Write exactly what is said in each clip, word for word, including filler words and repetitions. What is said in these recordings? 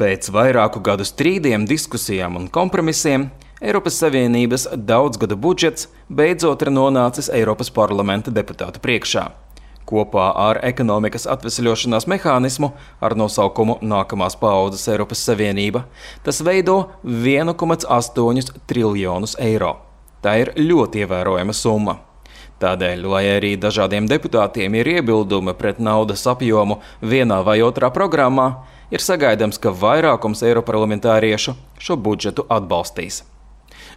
Pēc vairāku gadu strīdiem, diskusijām un kompromisiem Eiropas Savienības daudzgadu budžets beidzot ir nonācis Eiropas parlamenta deputātu priekšā. Kopā ar ekonomikas atvesļošanās mehānismu ar nosaukumu Nākamās paaudzes Eiropas Savienība tas veido vienu komā astoņus triljonus eiro. Tā ir ļoti ievērojama summa. Tādēļ, lai arī dažādiem deputātiem ir iebildumi pret naudas apjomu vienā vai otrā programmā, ir sagaidāms, ka vairākums eiroparlamentāriešu šo budžetu atbalstīs.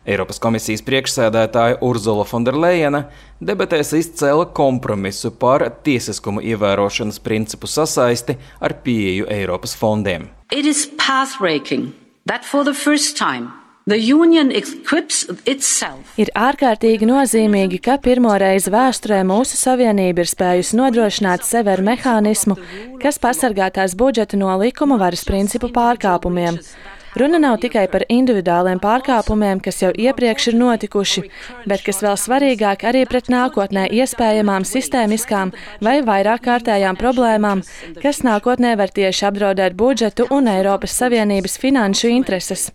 Eiropas komisijas priekšsēdētāja Urzula Fonderlejena debatēs izcēla kompromisu par tiesiskumu ievērošanas principu sasaisti ar pieeju Eiropas fondiem. It is pathbreaking that for the first time the Union equips itself. Ir ārkārtīgi nozīmīgi, ka pirmo reizi vēsturē mūsu savienība ir spējusi nodrošināt sevi ar mehānismu, kas pasargā tās budžetu no likuma varas principu pārkāpumiem. Runa nav tikai par individuāliem pārkāpumiem, kas jau iepriekš ir notikuši, bet, kas vēl svarīgāk, arī pret nākotnē iespējamām sistēmiskām vai vairāk kārtējām problēmām, kas nākotnē var tieši apdraudēt budžetu un Eiropas Savienības finanšu intereses.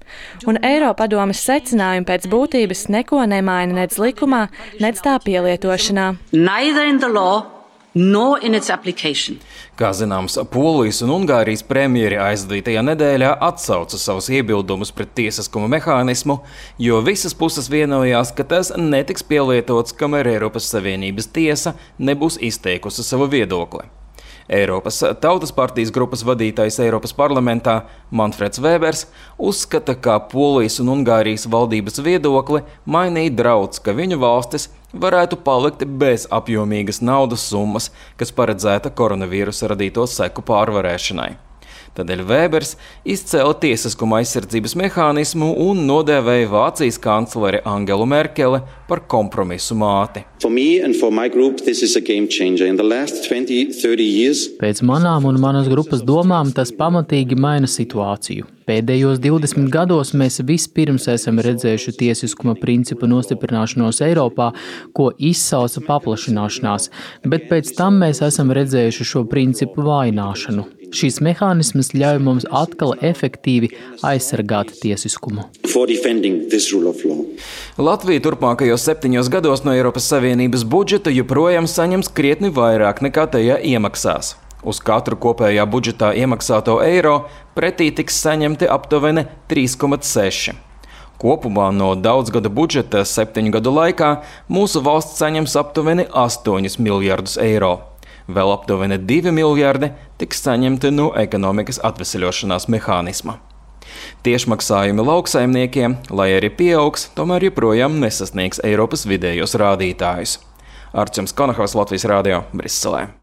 Un Eiropadomes secinājumi pēc būtības neko nemaina nec likumā, nec tā pielietošanā. Neither in the law nor in its application. Kā zināms, Polijas un Ungārijas premjeri aizdītajā nedēļā atsauca savus iebildumus pret tiesiskuma mehānismu, jo visas puses vienojās, ka tas netiks pielietots, kamēr Eiropas Savienības tiesa nebūs izteikusi savu viedokli. Eiropas Tautas partijas grupas vadītājs Eiropas parlamentā Manfreds Vēbers uzskata, ka Polijas un Ungārijas valdības viedokli mainīja draudz, ka viņu valstis varētu palikt bez apjomīgas naudas summas, kas paredzēta koronavīrusa radīto seku pārvarēšanai. Tādēļ Vēbers izcēla tiesiskuma aizsardzības mehānismu un nodēvēja Vācijas kancleri Angelu Merkeli par kompromisu māti. Pēc manām un manas grupas domām tas pamatīgi maina situāciju. Pēdējos divdesmit gados mēs vispirms esam redzējuši tiesiskuma principu nostiprināšanos Eiropā, ko izsauca paplašināšanās, bet pēc tam mēs esam redzējuši šo principu vājināšanu. Šīs mehānismas ļauj mums atkal efektīvi aizsargāt tiesiskumu. Latvija turpmākajos septiņos gados no Eiropas Savienības budžeta joprojām saņems krietni vairāk nekā tajā iemaksās. Uz katru kopējā budžetā iemaksāto eiro pretī tiks saņemti aptuveni trīs komā seši. Kopumā no daudzgada budžeta septiņu gadu laikā mūsu valsts saņems aptuveni astoņus miljardus eiro. Vēl aptuveni divi miljardi tiks saņemti no ekonomikas atvesļošanās mehānisma. Tiešmaksājumi lauksaimniekiem, lai arī pieaugs, tomēr joprojām nesasniegs Eiropas vidējos rādītājus. Arčuns Konahaus, Latvijas radio, Briselē.